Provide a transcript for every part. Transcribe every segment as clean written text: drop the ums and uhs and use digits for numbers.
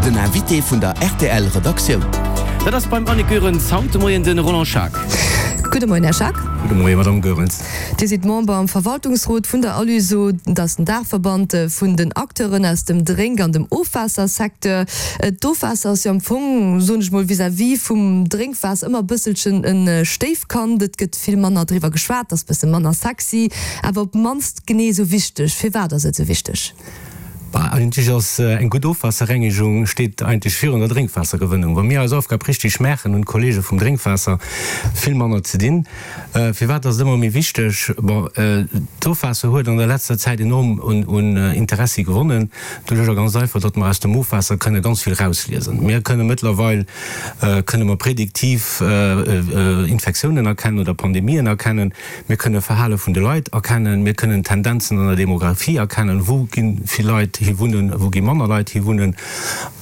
Den Invité vun der rtl Redaktioun. Dat ass beim Annick Goerens haut de Moien de Roland Schaack. Gudde Moien, Här Schaack. Gudde Moien, Madamm Goerens. Dir sidd Member am Verwaltungsrot vun der Aluseau, dat ass den Daachverband vun den Acteuren aus dem Drénk an dem Ofwaassersecteur. D'Ofwaasser ass jo am Fong, soen ech mol, vis-à-vis vum Drénkwaasser ëmmer e bësselchen e Stéifkand. Et gëtt vill manner driwwer geschwat, ass e bësse manner sexy, awer op d'mannst genee esou wichteg. Firwat ass et esou wichteg? Bah, eigentlech ass eng gutt Ofwaasserrengegung steet eigentlech virun der Drénkwaassergewënnung. Wa mir eis Aufgab richtig maachen, hunn d'Kollege vum Drénkwaasser vill manner ze dinn. Firwat ass et ëmmer méi wichteg? Bon, d'Ofwaasser huet an der letzter Zäit enorm un Interessi gewonnen, doduercher ganz einfach, datt mer aus dem Ofwaasser kënne ganz vill rausliesen. Mir kënne mëttlerweil kënne mer prediktiv Infektiounen erkennen oder Pandemien erkennen. Mir kënne Verhale vun de Leit erkennen, mir kënnen Tendenzen an der Demographie erkennen, wou gi vill Leit hi wunnen, wou gi manner Leit hi wunnen.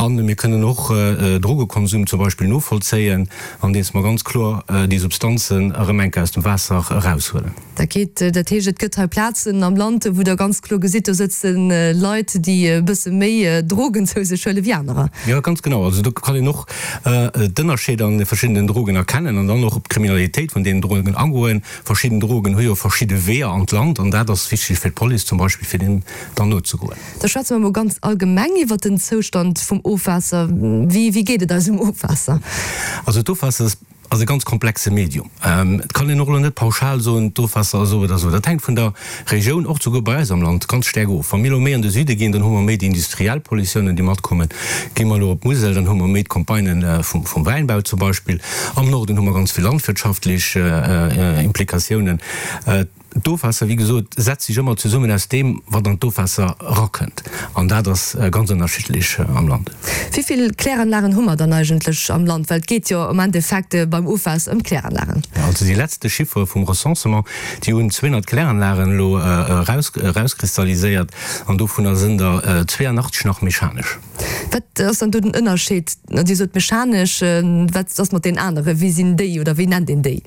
A mir kënnen och Drogekonsum zum Beispill novollzéien, andeems mer ganz kloer déi Substanzen erëm eng Kéier aus dem Waasser eraushuelen. Dat geet, dat heescht, et gëtt hei Plazen am Land, wou Der ganz kloer gesitt, do sëtze Leit, déi e bësse méi Drogen zou sech huele wéi anerer. Jo, ganz genau. Also do kann een och d'Ënnerscheeder an de verschiddenen Drogen erkennen an dann och op d'Kriminalitéit vun deenen Drogen agoen. Verschidden Drogen hu jo verschidde Weeër an d'Land an dat ass wichteg fir d'Police zum Beispill, fir deem dann nozegoen. Da schwätze mer emol ganz allgemeng iwwert den Zoustand vum Ofwaasser. Wéi, wéi geet et eisem Ofwaasser? Also d'Ofwaasser ass e ganz komplexe Medium. Et kann een och elo net pauschal soen, d'Ofwaasser ass esou oder esou. Dat hänkt vun der Regioun, och souguer bei eis am Land, ganz staark of. Wa mir elo méi an de Süde ginn, dann hu mer méi déi industriell Pollutiounen, déi matkommen. Gi mer elo op d'Musel, dann hu mer méi d'Campagnen vum Wäinbau zum Beispill. Am Norden hu mer ganz vill landwirtschaftlech Implikatiounen. D'Ofwaasser, wéi gesot, setzt sech ëmmer zesummen aus deem, wat an d'Ofwaasser erakënnt. An dat ass ganz ënnerschiddlech am Land. Wéi vill Kläranlagen hu mer dann eigentlech am Land? Well et geet jo am Endeffekt beim Ofwaasser ëm d'Kläranlagen. Also déi letzte Chiffere vum Recensement, déi hunn 200 Kläranlagen elo erauskristalliséiert an dovunner sënn der 82 nach mechanesch. Wat ass dann do den Ënnerscheed? Dir sot mechanesch, wat ass mat deenen aneren? Wéi sinn déi oder wéi nennt een déi?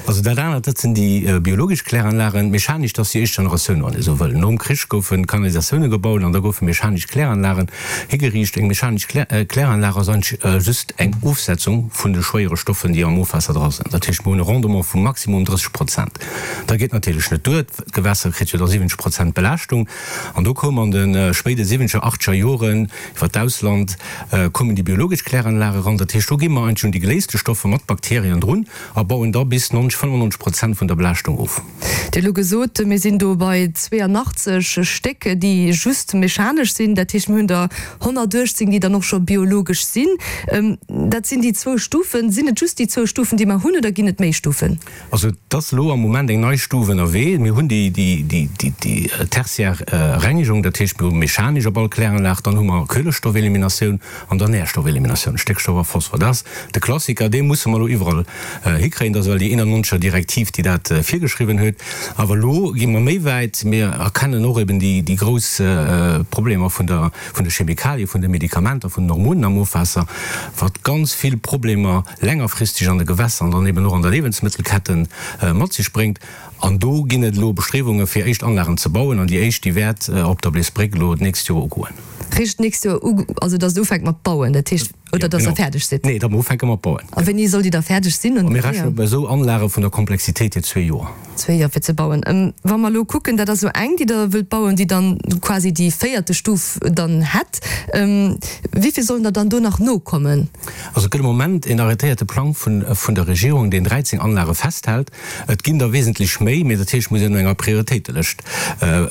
Also dat anert, dat sinn déi biologesch Kläranlagen. Mechanesch, dat ass déi éischt Generatioun, wann ee sou wëll. Nom Krich goufe Kanalisatioune gebaut an da goufe mechanesch Kläranlagen higeriicht. Eng mechanesch Kläranlag ass eigentlech just eng Ofsetzung vun de schwéiere Stoffen, déi am Ofwaasser dra sinn. Dat heescht, mir hunn e Rendement vu maximum 30 Prozent. Dat geet natierlech net duer, d'Gewässer kritt jo da 70 Prozent Belaaschtung. An do koum an de spéide siwwenzeger, achteger Joren iwwer d'Ausland koumen déi biologesch Kläranlage ran. Dat heescht, do gi mer eigentlech un déi geléiste Stoffer mat Bakterien drun a bauen da bis 90, 95 Prozent vun der Belaaschtung of. Dir hutt elo gesot, mir sinn do bei 82 Stéck, déi just mechanesch sinn. Dat heescht, mir hunn der 118, déi dann och scho biologesch sinn. Dat sinn déi zwou Stufen. Sinn et just déi zwou Stufen, déi mer hunn, oder ginn et méi Stufen? Also et ass elo am Moment eng nei Stuf ënnerwee. Mir hunn déi tertiär Rengegung, dat heescht mir hu mechanesch op all Kläranlag, dann hu mer Kuelestoffeliminatioun an dann Nährstoffeliminatioun, Stéckstoff a Phosphor. Dat ass de Klassiker, dee musse mer elo iwwerall hikréien. Dat ass well déi 91er Direktiv, déi dat virgeschriwwen huet. Awer elo gi mer méi wäit, mir erkennen och eben déi grouss Problemer vun der vun de Chemikalie, vun de Medikamenter, vun den Hormonen am Ofwaasser, wat ganz vill Problemer längerfristeg an de Gewässer an dann eben och an der Liewensmëttelketten mat sech bréngt. An do ginn et elo Bestriewunge fir éischt Anlagen ze bauen an déi éischt, déi wäert op der Bleesbréck elo d'nächst Joer ugoen. Richt d'nächst Joer u, also datt et ufänkt mat bauen, dat heescht, oder datt Der fäerdeg sidd? Nee, datt mer ufänke mat bauen. A wéini soll déi da fäerdeg sinn? Mir rechne bei esou Anlage vun der Komplexitéit hier zwee Joer. Zwee Joer fir ze bauen. Wa mer elo kucken, dat ass elo eng, déi Der wëllt bauen, déi dann quasi déi véierte Stuf dann hätt. Wéi vill sollen der dann do nach nokommen? Also et gëtt am Moment een arrêtéierte Plang vun der Regierung, deen 13 Anlage festhält. Et ginn der wesentlech méi, mee dat heescht, et muss een no enger Prioritéitelëscht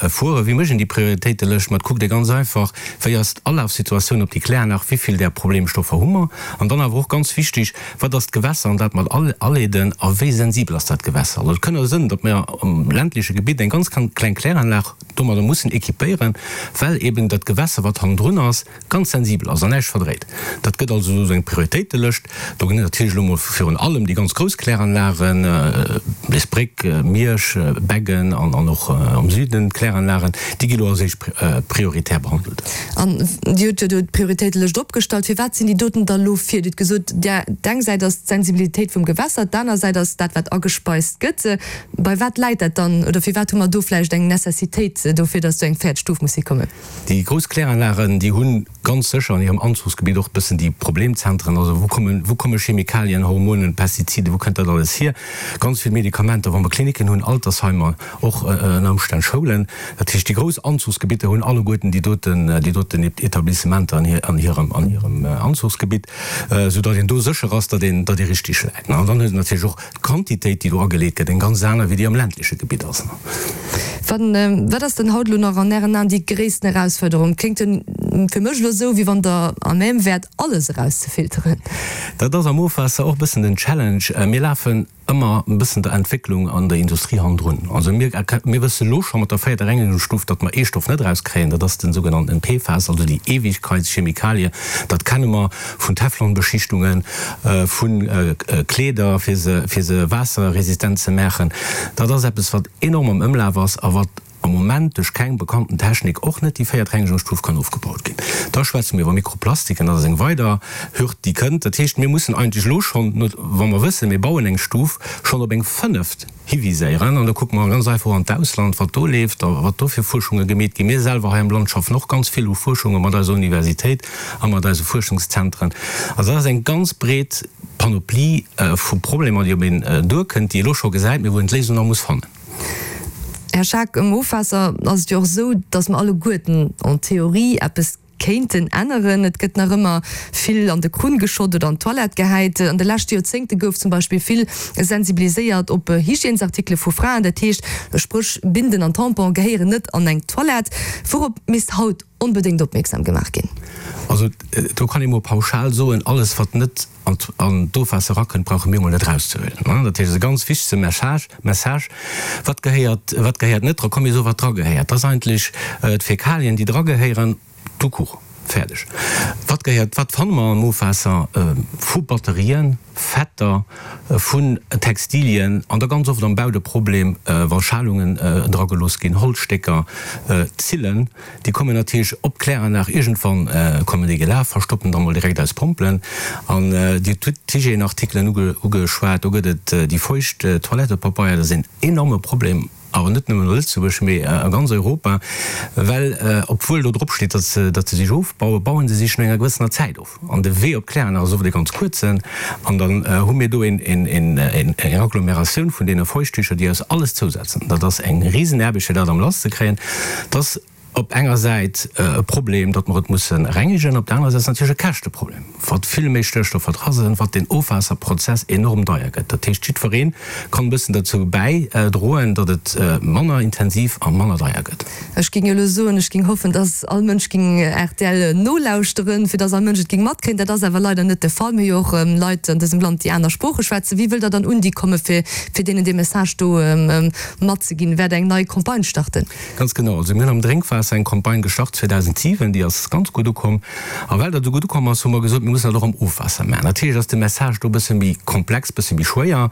fueren. Wéi mécht een déi Prioritéitelëscht? Ma et kuckt ee ganz einfach, wéi ass d'Alafsituatioun op déi Kläranlag, wéi vill där Problemstoffer hu mer? An dann awer och ganz wichteg, Wat ass d'Gewässer an dat mat aleeden a wéi sensibel ass dat Gewässer? Also et kënn jo sënn, datt mir am ländleche Gebitt eng ganz kleng Kläranlag domadder mussen équipéieren, well eben dat Gewässer, wat hannendrun ass, ganz sensibel ass an näischt verdréit. Dat gëtt also esou eng Prioritéitelëscht. Do ginn et natierlech elo mol virun allem déi ganz grouss Kläranlagen, Bleesbréck, Miersch, Beggen an och am Süden d'Kläranlagen, déi gi lo als éischt prioritär behandelt. An Dir hutt jo do d'Prioritéitelëscht opgestallt. Firwat sinn déi. déi doten da lo vir? Dir hutt gesot, d'eng Säit ass d'Sensibilitéit vum Gewässer, d'aner Säit ass dat, wat agespeist gëtt. Bei wat läit dat dann oder firwat hu mer do vläicht eng Necessitéit dofir, datt do eng véiert Stuf muss hikommen? Déi grouss Kläranlagen, déi hu ganz sécher an hirem Anzuchsgebitt och e bëssen déi Problemzentren. Also wou kommen, wou komme Chemikalien, Hormonen, Pestizide, wou kënnt dat alles hier? Ganz vill Medikamenter, wa mer Klinicken hunn, Altersheimer, och ënner Ëmstänn Schoulen. Dat heescht, déi grouss Anzuchsgebitter hunn alleguerten déi doten, déi doten Etablissementer an hir, an hirem, an hirem Anzuchsgebitt, soudatt een do sécher ass, datt een, datt ee richtig läit. An dann huet een natierlech och d'Quantitéit, déi do ageleet gëtt, eng ganz aner, wéi déi am ländleche Gebitt ass. Wann, wat ass denn haut elo nach an Ären Aen déi gréissten Erausfuerderung? Kléngt jo fir mech elo esou, wéi wann Der à même wäert, alles erauszefilteren. Dat ass am Ofwaasser och e bëssen den Challenge. Mir lafen ëmmer e bëssen der Entwécklung an der Industrie hannendrun. Also mir, mir wësse lo scho mat der véierter Rengegungsstuf, datt mer ee Stoff net erauskréien, dat ass den sougenannten PFAS, also déi Ewigkeitschemikalie. Dat kenne mer vun Teflonbeschichtungen, vu Kleeder, fir se, fir se waasserresistent ze maachen. Dat ass eppes, wat enorm am Ëmlaf ass a wat am Moment duerch keng bekannten Technik, och net déi véiert Rengegungsstuf, kann ofgebaut ginn. Da schwätze mir iwwer Mikroplastiken, dat ass eng weider Hürd, déi kënnt. Dat heescht, mir mussen eigentlech elo schonn, wa mer wëssen, mir bauen eng Stuf, schonn op eng fënneft hiviséieren. An da kucke mer ganz einfach och an d'Ausland, wat do leeft a wat do fir Fuerschunge gemeet ginn. Mir selwer hei am Land schaffen och ganz vill u Fuerschunge mat eiser Universitéit a mat eise Fuerschungszentren. Also dat ass eng ganz breet Panoplie vu Problemer, déi op een duerkënnt, déi ee elo scho gesäit, mee wou een d'Léisung nach muss fannen. Här Schaack, um Ofwaasser ass et jo och esou, datt mer alleguerten en théorie eppes kéinten änneren. Et gëtt nach ëmmer vill an de Krunn geschott oder an d'Toilette gehäit. An de leschte Joerzéngte gouf zum Beispill vill sensibiliséiert op Hygiènesartikele vu Fraen, dat heescht, spréch Binden an Tampon gehéieren net an eng Toilette. Wourop misst haut onbedéngt opmierksam gemaach ginn? Also do kann ee mol pauschal soen, alles wat net an d'Ofwaasser erakënnt, brauche mir emol net erauszehuelen. Dat heescht, et ass e ganz wichtege Message, Message, wat gehéiert, wat gehéiert net dra, komm mir soe wat dragehéiert. Dat ass eigentlech d'Fäkalien, déi dragehéieren, tout court, fäerdeg. Wat gehéiert, wat fanne mer am Ofwaasser? Vu Batterien, Fetter, vun Textilien an da ganz oft am Bau de Problem, wa Schalungen dragelooss ginn, Holzstécker, Zillen. Déi kommen natierlech op d'Kläranlag, iergendwann kommen déi gelaf, verstoppen da mol direkt eis Pompelen. An Dir hutt d'Hygièneartikelen ugeschwat, do gëtt et déi feucht Toilettepapeier, dat ass een enorme Problem, awer net nëmmen a Lëtzebuerg, mee a ganz Europa, well obwuel do drop steet, datt se datt se sech ofbauen, bauen se sech no enger gewëssener Zäit of. An de Wee op d'Kläranlag ass oft e ganz kuerzen. An dann hu mir do eng Agglomeratioun vun deene Feuchttücher, déi eis alles zousetzen. Dat ass eng Risenaarbecht, fir dat am Lass ze kréien. Dat ass op enger Säit e Problem, datt mer et musse rengegen, op der anerer Säit ass et natierlech e Käschteproblem, wat vill méi Stéckstoffer dra sinn, wat den Ofwaasserprozess enorm deier gëtt. Dat heescht, jiddweree kann e bëssen derzou bäidroen, datt et manner intensiv a manner deier gëtt. Ech géing elo soen, ech géing hoffen, dass all Mënsch géing rtl nolauschteren, fir dass all Mënsch et géing matkréien. Dat ass awer leider net de Fall. Mir hu jo och Leit an dësem Land, déi aner Sprooche schwätzen. Wéi wëllt Der dann un déi kommen, fir deenen dee Message do matzeginn? Wäert Der eng nei Campagne starten? Ganz genau. Also mir hunn am Drénkwaasser eng Campagne gestart 2007, déi ass ganz gutt ukomm. A well dat esou gutt ukomm ass, hu mer gesot, mir mussen dat och am Ofwaasser maachen. Natierlech ass de Message do e bësse méi komplex, e bësse méi schwéier.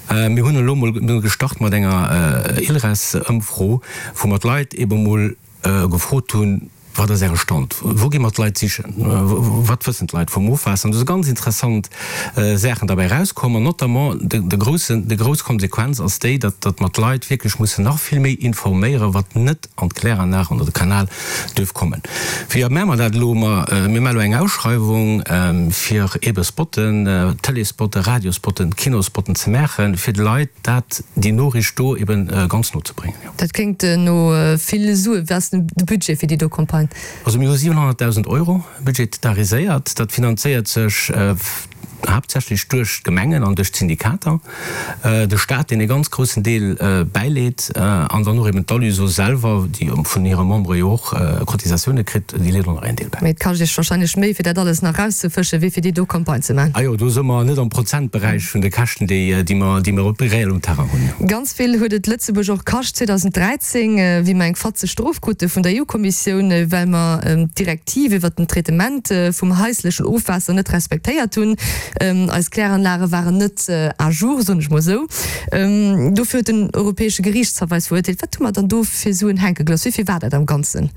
Mir hunn elo mol gestart mat enger ILRES-Ëmfro, wou mer d'Leit ebe mol gefrot hunn, Wat ass Äre Stand? Wou gi mer d'Leit sichen? Wat wëssen d'Leit vum Ofwaasser? An do si ganz interessant Saachen derbäi erauskomm. An notamment de groussen, déi grouss Konsequenz ass déi, datt, datt mer d'Leit wierklech mussen nach vill méi informéieren, wat net an d'Kläranlag oder de Kanal duerf kommen. Wéi maache mer dat elo? Ma mir maache elo eng Ausschreiwung, fir eebe Spotten, Tëleesspotten, Radiospotten, Kinospotten ze maachen, fir de Leit dat, déi Noriicht do eebe ganz no ze bréngen. Dat kléngt no vill Suen. Wat ass de Budget fir déi do Campagne? Also mir hu 700.000 Euro budgetariséiert. Dat finanzéiert sech haaptsächlech duerch d'Gemengen an duerch d'Syndikater, de Staat, deen e ganz groussen Deel bäileet, an dann och eben d'Aluseau selwer, déi vun hire Membere jo och Cotisatioune kritt, déi leet och nach een Deel bäi. Mee et kascht Iech wahrscheinlech méi, fir dat alles nach erauszefëschen, wéi fir déi do Campagne ze maachen. Ah jo, do si mer net am Prozentberäich vun de Käschten, déi mer reell um Terrain hunn. Ganz vill huet et Lëtzebuerg och kascht 2013, wéi mer eng fatzeg Strof krute vun der EU-Kommissioun, well mer d'Direktiv iwwert den Traitement vum haislechen Ofwaasser net respektéiert hunn. Eis Kläranlage waren net à jour, soen ech mol esou. Dofir huet den Europäesche Geriichtshaff eis verurteelt. Wat hu mer dann do fir Suen hänke gelooss? Wéi vill war dat am Ganzen?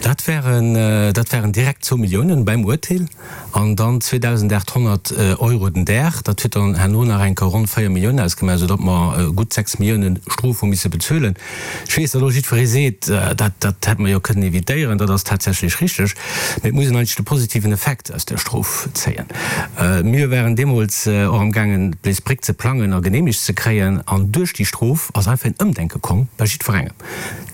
Dat waren, dat waren direkt zwou Milliounen beim Urteel an dann 2.800 Euro den Dag. Dat huet dann herno nach eng Kéier ronn 4 Milliounen ausgemaach, esou datt mer gutt 6 Milliounen Strof hu misse bezuelen. Ech weess, datt elo jiddweree seet, dat, dat hätt mer jo kënnen evitéieren. Dat ass tatsächlech richteg, mee et muss een eigentlech de positiven Effekt aus där Strof zéien. Mir waren deemools och amgaangen, d'Bléis Bréck ze plangen a geneemegt ze kréien an duerch déi Strof ass einfach een Ëmdenke komm bei jiddwerengem.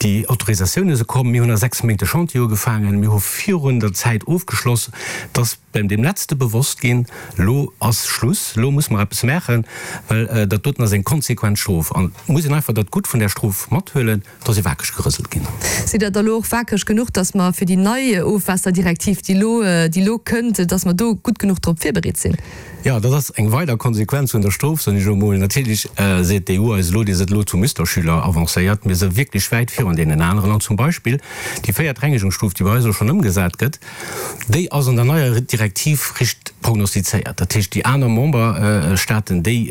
Déi Autorisatioune se komm, mir hunn a 6 Méint de Chantier ugefaangen, mir hu virun der Zäit ofgeschloss, et ass beim deem Letzte bewosst ginn, elo ass Schluss, elo musse mer eppes maachen, well dat doten ass eng konsequent Strof. An et muss een einfach dat Gutt vun där Strof mathuelen, et ass ee wakereg gerëselt ginn. Sidd Der da elo och wakereg genuch, datt mer fir déi nei Ofwaasserdirektiv, déi elo, déi elo kënnt, datt mer do gutt genuch drop virbereet sinn? Jo, dat ass eng weider Konsequenz vun der Strof, soen ech elo emol. Natierlech seet d'EU eis elo, Dir sidd elo zu Musterschüler avancéiert. Mir si wierklech wäit virun deenen aneren. An zum Beispill déi véiert Rengegungsstuf, déi bei eis elo schonn ëmgesat gëtt, déi ass an der neier Direktiv richt prognostizéiert. Dat heescht, déi aner Memberstaaten, déi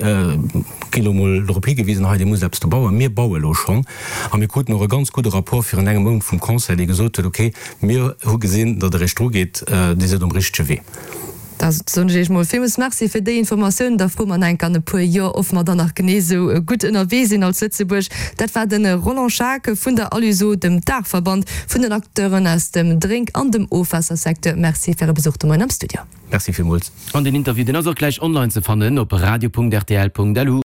ginn elo emol dorop higewisen, hei, Dir musst eppes do bauen. Mir baue elo schonn. A mir kruten och e ganz gudde Rapport virun engem Mount vum Conseil, dee gesot huet, Okay, mir hu gesinn, datt Der Iech drugeet, Dir sidd um richtege Wee. Da soen ech Iech mol villmools Merci fir déi Informatiounen. Da froe mer enk an e puer Joer, of mer dann nach genee esou gutt ënnerwee sinn als Lëtzebuerg. Dat war de Roland Schaack vun der Aluseau, dem Daachverband vun den Acteuren aus dem Drénk an dem Ofwaassersecteur. Merci fir Äre Besuch de Moien am Studio. Merci villmools. An den Interview, deen ass och gläich online ze fannen op radio.rtl.lu.